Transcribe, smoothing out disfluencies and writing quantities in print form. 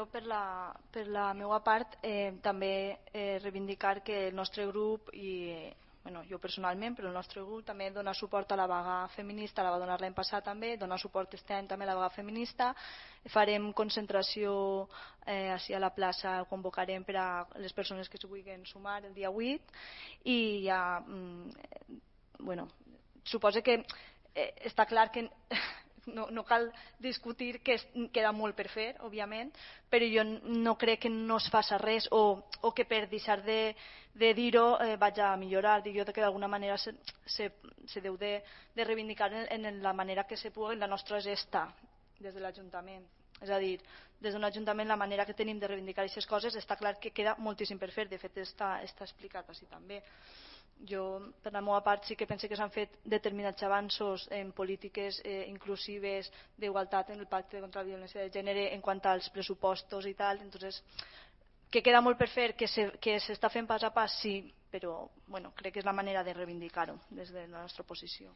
Per la meva part, també reivindicar que el nostre grup i jo personalment, però el nostre grup també dona suport a la vaga feminista, la va donar l'any passat també, dona suport aquest any també a la vaga feminista. Farem concentració així a la plaça, convocarem per a les persones que s'hi vulguin sumar el dia 8 i ja, suposo que està clar que no cal discutir que queda molt per fer, òbviament, però jo no crec que no es faci res o que per deixar de dir-ho vaig a millorar. Jo crec que d'alguna manera se deu de reivindicar en la manera que se pugui la nostra gesta des de l'Ajuntament. És a dir, des d'un Ajuntament la manera que tenim de reivindicar aquestes coses està clar que queda moltíssim per fer, de fet està explicat així també. Jo, per la meva part, sí que penso que s'han fet determinats avanços en polítiques inclusives d'igualtat en el pacte contra la violència de gènere en quant als pressupostos i tal, entonces que queda molt per fer, que s'està fent pas a pas, sí, però crec que és la manera de reivindicar-ho des de la nostra posició.